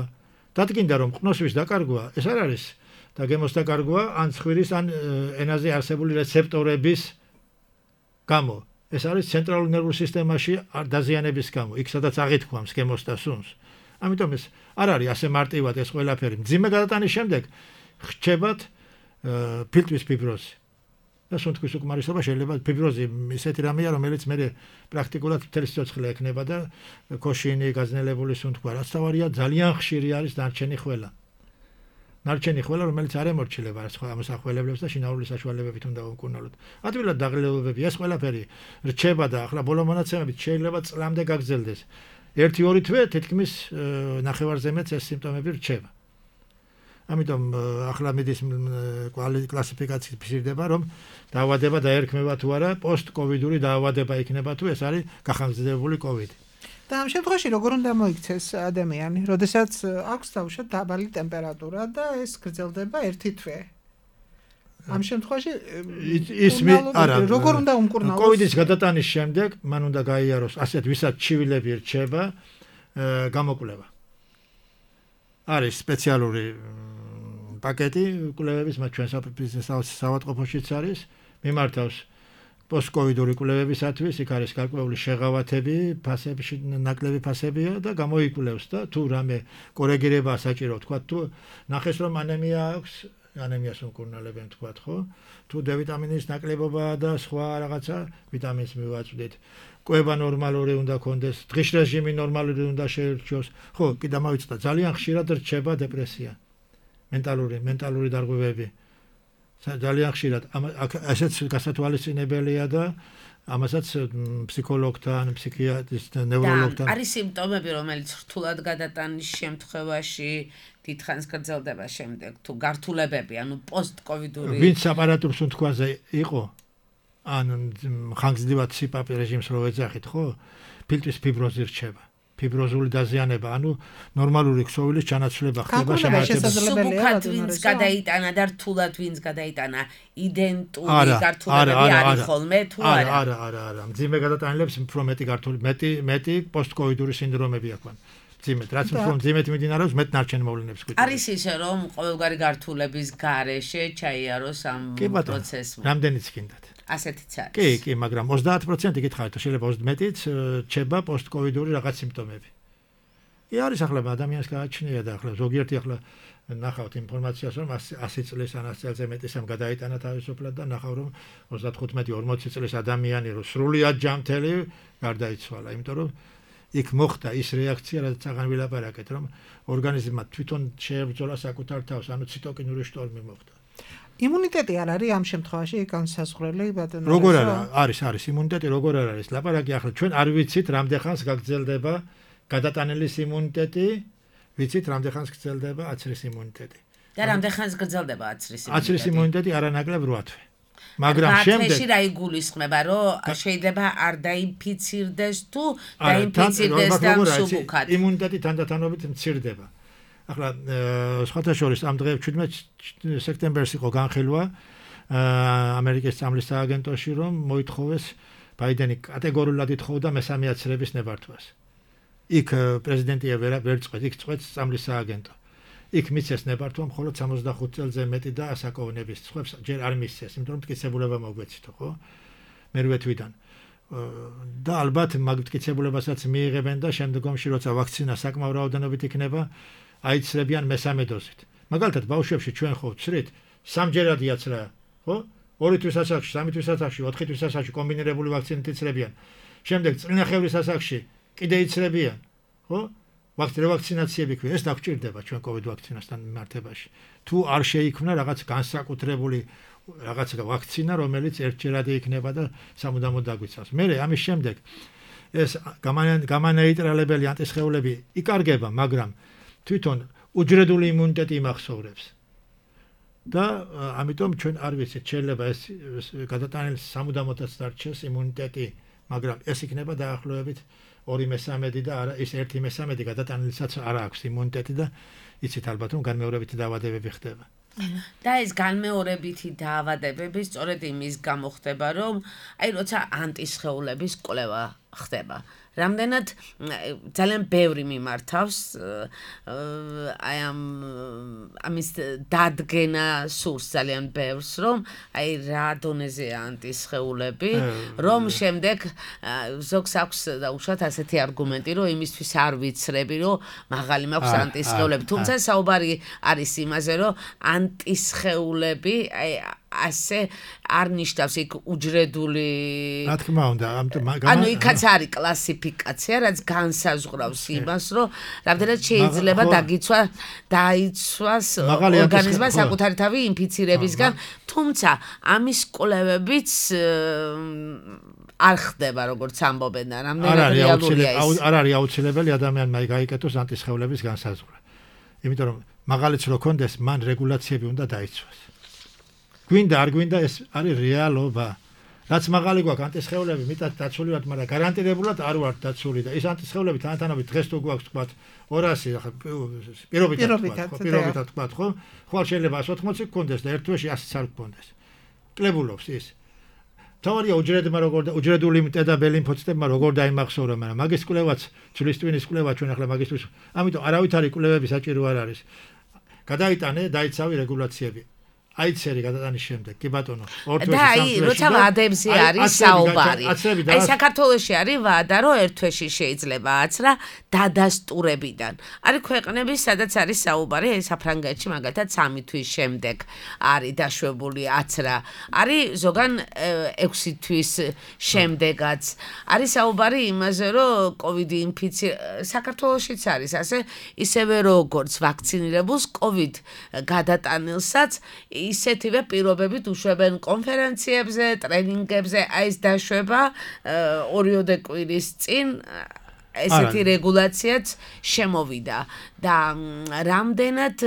E: დადგინდა რომ ყნოსვის დაკარგვა ეს არ არის და გემოს დაკარგვა ან ცხვირის ან ენაზე არსებული რეცეპტორების გამო. ეს არის ცენტრალურ ნერვულ სისტემაში დაზიანების გამო, იქ სადაც აღითქვამს გემოს და სუნს. ამიტომ ეს არ არის ასე მარტივად ეს ყველაფერი. მძიმე გადატანის შემდეგ ხჩებათ ფილტვის ფიბროზი. და სუნთქვის უკმარისობა შეიძლება ფიბროზი ისეთი რამეა, რომელიც მე პრაქტიკულად მთელი სიცოცხლე ექნება და ქოშინი, გაზნელებული სუნთქვა, რაც თავარია ძალიან ხშირი არის ნარჩენი ხველა. ნარჩენი ხველა, რომელიც არ ემორჩილება სხვა ამოსახველებლებს და შინაურული საშუალებებით უნდა უკურნალოთ. ადვილად დაღლილობები, ეს ყველაფერი რჩება და ახლა ბოლო მონაცემებით შეიძლება წლამდე გაგრძელდეს. ერთი ორი თვე თითქმის ნახევარზე მეტ ეს სიმპტომები რჩება. ამიტომ ახლა მიდის კლასიფიკაციის ფიქრდება, რომ დაავადება დაერქმება თუ არა, პოსტკოვიდური დაავადება იქნება თუ ეს არის გახანგრძლივებული კოვიდი.
D: და ამ შემთხვევაში როგორ უნდა მოიქცეს ადამიანი, როდესაც აქვს თავშად დაბალი ტემპერატურა და ეს გრძელდება ერთი თვე. ამ შემთხვევაში
E: ის არა,
D: როგორ უნდა უმკურნალოს?
E: კოვიდის გადატანის შემდეგ მან უნდა გაიაროს ასეთ ვისაც ჩივილები რჩება გამოკვლევა. არის სპეციალური პაკეტი კვლევების, მათ ჩვენ საავადმყოფოშიც არის, მიმართავს პოსტკოვიდური კვლევებისათვის, იქ არის გარკვეული შეღავათები, ფასებში ნაკლები ფასებია და გამოიკვლევს და თუ რამე კორეგირება საჭირო, თქვა თუ ნახეს რომ ანემია აქვს, ანემიას უმკურნალებენ თქვა, ხო? თუ D ვიტამინის ნაკლებობაა და სხვა რაღაცა ვიტამინს მივაწვდით. კვება ნორმალური უნდა კონდეს, დღის რეჟიმი ნორმალური უნდა შეირჩიოს. ხო, კი დამავიწყდა, ძალიან ხშირად რჩება დეპრესია. მენტალური, მენტალური დარღვევები. ძალიან ხშირად ასეც გასათვალისწინებელია და ამასაც ფსიქოლოგთან, ფსიქიატრისტთან, ნევროლოგთან
C: არის სიმპტომები, რომელიც რთულად გადატანის შემთხვევაში დიდხანს გრძელდება შემდეგ თუ გართულებები, ანუ პოსტკოვიდური
E: ვინც აპარატურ სუნთქვაზე იყო, ან ხანგრძლივად სიპაპი რეჟიმს რო ეძახით, ხო? ფილტვის ფიბროზი რჩება. ფიბროზული დაზიანება, ანუ ნორმალური ქსოვილის ჩანაცვლება ხდება
C: შემაერთებელად ვინც გადაიტანა და რთულად ვინც გადაიტანა იდენტური გართულებები არის ხოლმე თუ არა?
E: არა, არა, არა. მძიმე გადატანილებს უფრო მეტი გართული, მეტი მეტი პოსტკოვიდური სინდრომები აქვთ. მძიმედ, რაც უფრო მძიმედ მიმდინარეობს, მეტ ნარჩენ მოვლენებს გვიწევს.
C: არის ისე, რომ ყოველგვარი გართულების გარეშე ჩაიაროს ამ პროცესმა.
E: რამდენიც გინდათ?
C: ასეთიც არის.
E: კი, კი, მაგრამ ოცდაათ პროცენტი გითხარით, შეიძლება ოცდამეტიც რჩება პოსტკოვიდური რაღაც სიმპტომები. კი არის ახლა ადამიანს გააჩნია და ახლა ზოგიერთი ახლა ნახავთ ინფორმაციას, რომ ასი წლის ან ათი წელზე მეტისამ გადაიტანა თავისუფლად და ნახავ რომ ოცდათხუთმეტი ორმოცი წლის ადამიანი რო სრულიად ჯანმრთელი გარდაიცვალა, იმიტომ რომ იქ მოხდა ის რეაქცია, რაც აღარ ვილაპარაკეთ, რომ ორგანიზმმა თვითონ შეებრძოლა საკუთარ თავს, ანუ ციტოკინური შტორმი მოხდა.
D: იმუნიტეტი არ არის ამ შემთხვევაში განსაზღვრელი ბატონო.
E: როგორ არა, არის, არის იმუნიტეტი, როგორ არ არის. ლაპარაკი ახლა ჩვენ არ ვიცით რამდენხანს გაგრძელდება გადატანილის იმუნიტეტი, ვიცით რამდენხანს გრძელდება აცრის იმუნიტეტი.
C: და რამდენხანს გრძელდება აცრის იმუნიტეტი?
E: აცრის იმუნიტეტი არანაკლებ რვა თვე. მაგრამ შემდეგ
C: ათში რა იგულისხმება, რომ შეიძლება არ დაინფიცირდეს თუ დაინფიცირდეს და მსუბუქად.
E: იმუნიტეტი თანდათანობით მცირდება. ახლა სხვათა შორის ამ დღეებში შვიდმეტი სექტემბერს იყო განხილვა ამერიკის წამლის სააგენტოში, რომ მოითხოვეს ბაიდენი კატეგორიულად ითხოვდა მესამე აცრების ნებართვას. იქ პრეზიდენტია ვერ ვერ წყვეტ, იქ წყვეტს წამლის სააგენტო. იქ მისცეს ნებართვა მხოლოდ სამოცდახუთ წელზე მეტი და ასაკოვნების სხვებს ჯერ არ მისცეს, იმიტომ რომ მტკიცებულება მოგვეცითო, ხო? მერვე თვიდან. და ალბათ მაგ მტკიცებულებასაც მიიღებენ და შემდგომში როცა ვაქცინა საკმაო რაოდენობით იქნება აიცრებიან მესამე დოზით. მაგალითად, ბავშვებში ჩვენ ხო ვცრით სამჯერადი აცრა, ხო? ორი თვის ასაკში, სამი თვის ასაკში, ოთხი თვის ასაკში კომბინირებული ვაქცინით იცრებიან. შემდეგ წინახევრის ასაკში კიდე იცრებიან, ხო? ვაქცინაციები ქვია, ეს დაგჭირდება ჩვენ კოვიდ ვაქცინასთან მიმართებაში. თუ არ შეიქმნა რაღაც განსაკუთრებული რაღაც ვაქცინა, რომელიც ერთჯერადი იქნება და სამუდამოდ დაგვიცავს. მერე ამის შემდეგ ეს გამანეიტრალებელი ანტისხეულები იკარგება, მაგრამ თვითონ უჯრედული იმუნიტეტი იმახსოვრებს. და ამიტომ ჩვენ არ ვიცით, შეიძლება ეს გადატანილი სამუდამოდაც დარჩეს იმუნიტეტი, მაგრამ ეს იქნება დაახლოებით ორი მესამედი და არა ის ერთი მესამედი გადატანილსაც არ აქვს იმუნიტეტი და იცით ალბათ რომ განმეორებითი დაავადებები ხდება.
C: და ეს განმეორებითი დაავადებები სწორედ იმის გამო ხდება, რომ აი როცა ანტისხეულების კვლევა ხდება. რამდენად ძალიან ბევრი მიმართავს აი ამ ამის დადგენა სურს ძალიან ბევრს, რომ აი რა დონეზეა ანტისხეულები, რომ შემდეგ ზოგს აქვს დაუშვათ ასეთი არგუმენტი, რომ იმისთვის არ ვიცრები, რომ მაღალი მაქვს ანტისხეულები, თუმცა საუბარი არის იმაზე, რომ ანტისხეულები აი ასე არ ნიშნავს იქ უჯრედული
E: რა თქმა უნდა
C: ანუ იქაც არის კლასიფიკაცია, რაც განსაზღვრავს იმას, რომ რამდენად შეიძლება დაგიცვა დაიცვას ორგანიზმმა საკუთარი თავი ინფიცირებისგან, თუმცა ამის კვლევებიც არ ხდება, როგორც ამბობენ, რამდენად რეალურია ის.
E: არ არის აუცილებელი ადამიანმა გაიკეთოს ანტისხეულების განსაზღვრა. იმიტომ რომ მაღალიც რო კონდეს, მან რეგულაციები უნდა დაიცვას. გვინდა არ გვინდა ეს არის რეალობა. რაც მაღალი გვაქვს ანტისხეულები, მეტად დაცული ვართ, მაგრამ გარანტირებულად არ ვართ დაცული და ეს ანტისხეულები თანათანობით დღეს თუ გვაქვს თქვა ორასი პირობითად თქვა, პირობითად თქვა, ხო? ხვალ შეიძლება ას ოთხმოცი გქონდეს და ერთ თვეში ასიც არ გქონდეს. კლებულობს ის. თავარია უჯრედმა როგორ და უჯრედული იმუნიტეტი ლიმფოციტებმა როგორ დაიმახსოვრა, მაგრამ მაგის კვლევაც, ცვლის ტვინის კვლევა ჩვენ ახლა მაგისთვის, ამიტომ არავითარი კვლევები საჭირო არ არის. გადაიტანე, დაიცავი რეგულაციები. აიცერი გადატანის შემდეგ, კი ბატონო, ორ თვეში
C: და აი, როცა ვადებზე არის საუბარი. აი, საქართველოში არის ვადა, რომ ერთ თვეში შეიძლება აცრა დადასტურებიდან. არის ქვეყნები, სადაც არის საუბარი, აი საფრანგეთში მაგალითად სამი თვის შემდეგ არის დაშვებული აცრა. არის ზოგან ექვსი თვის შემდეგაც. არის საუბარი იმაზე, რომ კოვიდი ინფიცირება საქართველოშიც არის ასე, ისევე როგორც ვაქცინირებულს კოვიდ გადატანილსაც ისეთივე პირობებით უშვებენ კონფერენციებზე, ტრენინგებზე, აი ეს დაშვება ორიოდე კვირის წინ ესეთი რეგულაციაც შემოვიდა და რამდენად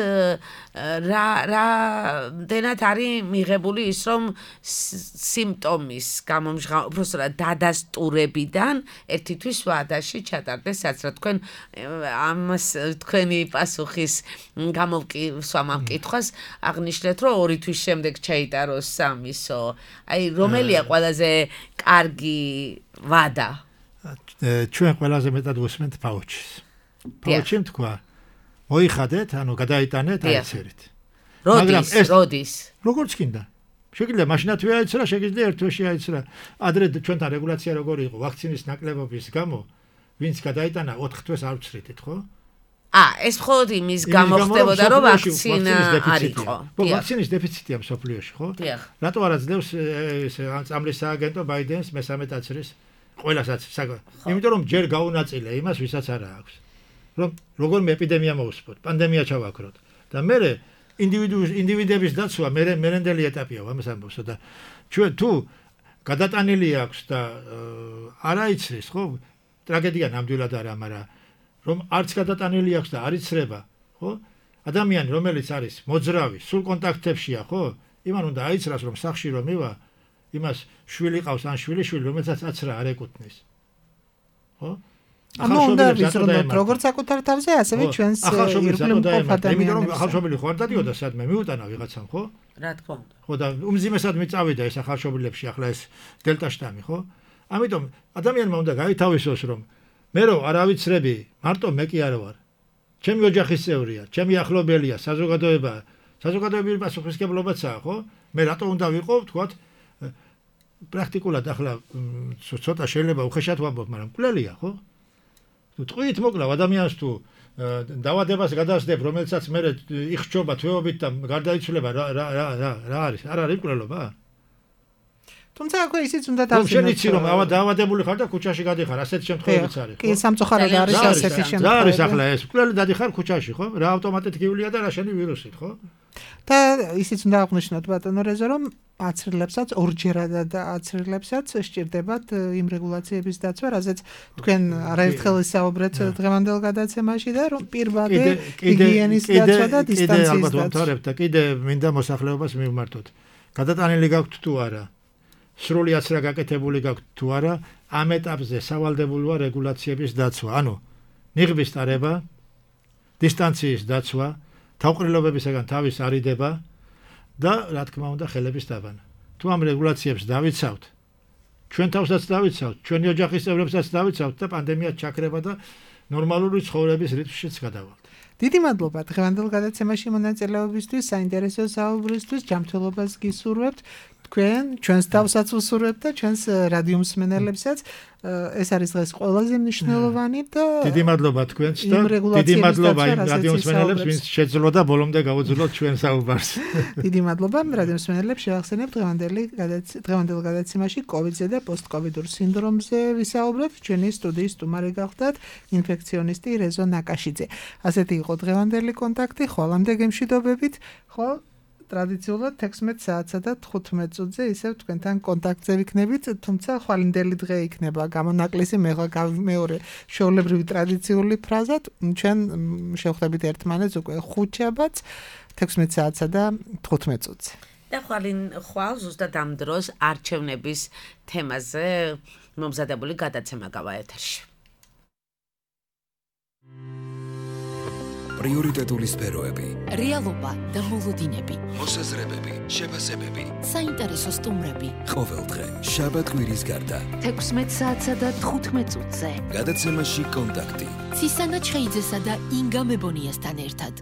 C: რა რამდენად არის მიღებული ის რომ სიმპტომის გამომჟღავნება უბრალოდ დადასტურებიდან ერთი თვის ვადაში ჩატარდეს რაც რა თქვენ ამას თქვენი პასუხის გამოვკისვამ ამ კითხვას აღნიშნეთ რომ ორი თვის შემდეგ ჩაიტაროს სამისო აი რომელია ყველაზე კარგი ვადა
E: ჩვენ ყველაზე მეტად ვუსმენთ პაუჩის. პაუჩი თქვა, მოიხადეთ, ანუ გადაიტანეთ აიცერით.
C: როდის, როდის?
E: როგორც კიდე. შეგიძლია მაშინათვე აიცრა, შეგიძლია ერთ თვეში აიცრა. ადრე ჩვენთან რეგულაცია როგორი იყო, ვაქცინის ნაკლებობის გამო, ვინც გადაიტანა ოთხ თვეს არ ვცრიდით, ხო?
C: ა, ეს მხოლოდ იმის გამო ხდებოდა, რომ ვაქცინა არ იყო.
E: ხო, ვაქცინის დეფიციტია მსოფლიოში, ხო? რატო არა ძლევს ეს წამლის სააგენტო ბაიდენს მესამე ტაცრის ყველასაც საგა. იმიტომ რომ ჯერ გაუნაწილე იმას, ვისაც არა აქვს. რომ როგორმე ეპიდემია მოусპოთ, პანდემია ჩავაქროთ. და მე ინდივიდუს ინდივიდების დაცვა მე მერენდელი ეტაპია ამას ამბობსო და ჩვენ თუ გადატანილი აქვს და არ აიცრის, ხო? ტრაგედია ნამდვილად არა, მაგრამ რომ არც გადატანილი აქვს და არ იცრება, ხო? ადამიანი რომელიც არის მოძრავი, სულ კონტაქტებშია, ხო? იმან უნდა აიცრას რომ სახში რომ მივა იმას შვილი ყავს ან შვილიშვილი რომელსაც აცრა არ ეკუთვნის. ხო?
D: ანუ უნდა ვიზრუნოთ როგორც საკუთარ თავზე, ასევე ჩვენს ირგვლივ მყოფ ადამიანებს.
E: იმიტომ რომ ახალშობილი ხო არ დადიოდა სადმე მიუტანა ვიღაცამ, ხო?
C: რა თქმა უნდა.
E: ხო და უმძიმესად მიწავიდა ეს ახალშობილებში ახლა ეს დელტა შტამი, ხო? ამიტომ ადამიანმა უნდა გაითავისოს რომ მე რო არ ავიცრები, მარტო მე კი არ ვარ. ჩემი ოჯახის წევრია, ჩემი ახლობელია, საზოგადოება, საზოგადოებრივი პასუხისმგებლობაცაა, ხო? მე რატო უნდა ვიყო, თქვათ პრაქტიკულად ახლა ცოტა შეიძლება უხეშად ვამბობ, მაგრამ მკვლელია, ხო? თუ ტყვით მოკლავ ადამიანს თუ დავადებას გადასდებ, რომელსაც მე იხჭობა თვეობით და გარდაიცვლება რა რა რა რა არის? არ არის მკვლელობა?
D: თუმცა აქვე ისიც უნდა დავზინოთ.
E: შენ იცი რომ დავადებული ხარ და ქუჩაში გადიხარ, ასეთ შემთხვევებიც არის, ხო?
D: კი, სამწუხაროდ არის ასეთი შემთხვევა.
E: რა არის ახლა ეს? მკვლელი დადიხარ ქუჩაში, ხო? რა ავტომატით გივლია და რა შენი ვირუსით, ხო?
D: და ისიც უნდა აღნიშნოთ ბატონო რეზო რომ აცრილებსაც ორჯერადად აცრილებსაც სჭირდებათ იმ რეგულაციების დაცვა, რაზეც თქვენ არაერთხელ ისაუბრეთ დღევანდელ გადაცემაში და რომ პირბადე ჰიგიენის დაცვა და დისტანციის დაცვა.
E: და კიდე მინდა მოსახლეობას მივმართოთ. გადატანილი გაქვთ თუ არა? სრული აცრა გაკეთებული გაქვთ თუ არა? ამ ეტაპზე სავალდებულოა რეგულაციების დაცვა. ანუ ნიღბის ტარება, დისტანციის დაცვა, თავყრილობებისაგან თავის არიდება და რა თქმა უნდა ხელების დაბანა. თუ ამ რეგულაციებს დავიცავთ, ჩვენ თავსაც დავიცავთ, ჩვენი ოჯახის წევრებსაც დავიცავთ და პანდემია ჩაქრება და ნორმალური ცხოვრების რიტმშიც გადავალთ.
D: დიდი მადლობა დღევანდელ გადაცემაში მონაწილეობისთვის, საინტერესო საუბრისთვის, ჯანმრთელობას გისურვებთ. თქვენ ჩვენს თავსაც უსურვებთ და ჩვენს რადიო მსმენელებსაც. ეს არის დღეს ყველაზე მნიშვნელოვანი და
E: დიდი მადლობა თქვენს და დიდი მადლობა იმ რადიო მსმენელებს, ვინც შეძლო და ბოლომდე გაუძლოთ ჩვენ საუბარს.
D: დიდი მადლობა რადიო მსმენელებს, შევახსენებთ დღევანდელი დღევანდელ გადაცემაში კოვიდზე და პოსტკოვიდურ სინდრომზე ვისაუბრეთ. ჩვენი სტუდიის სტუმარი გახდათ ინფექციონისტი რეზო ნაკაშიძე. ასეთი იყო დღევანდელი კონტაქტი, ხვალამდე გემშვიდობებით. ხო ტრადიციულად თექვსმეტ საათსა და თხუთმეტ წუთზე ისევ თქვენთან კონტაქტზე ვიქნებით, თუმცა ხვალინდელი დღე იქნება გამონაკლისი მეორე შეულებრივი ტრადიციული ფრაზად. ჩვენ შევხვდებით ერთმანეთს უკვე ხუთშაბათს თექვსმეტ საათსა და თხუთმეტ წუთზე.
C: და ხვალინ ხვალ ზუსტად ამ დროს არჩევნების თემაზე მომზადებული გადაცემა გავა ეთერში.
A: პრიორიტეტული სფეროები,
B: რეალობა და მოლოდინები,
A: მოსაზრებები, შეფასებები,
B: საინტერესო სტუმრები.
A: ყოველდღე შაბათ-კვირის გარდა
B: თექვსმეტ საათსა და თხუთმეტ წუთზე.
A: გადაცემაში კონტაქტი.
B: ცისანა ჩხეიძესა და ინგა მებონიასთან ერთად.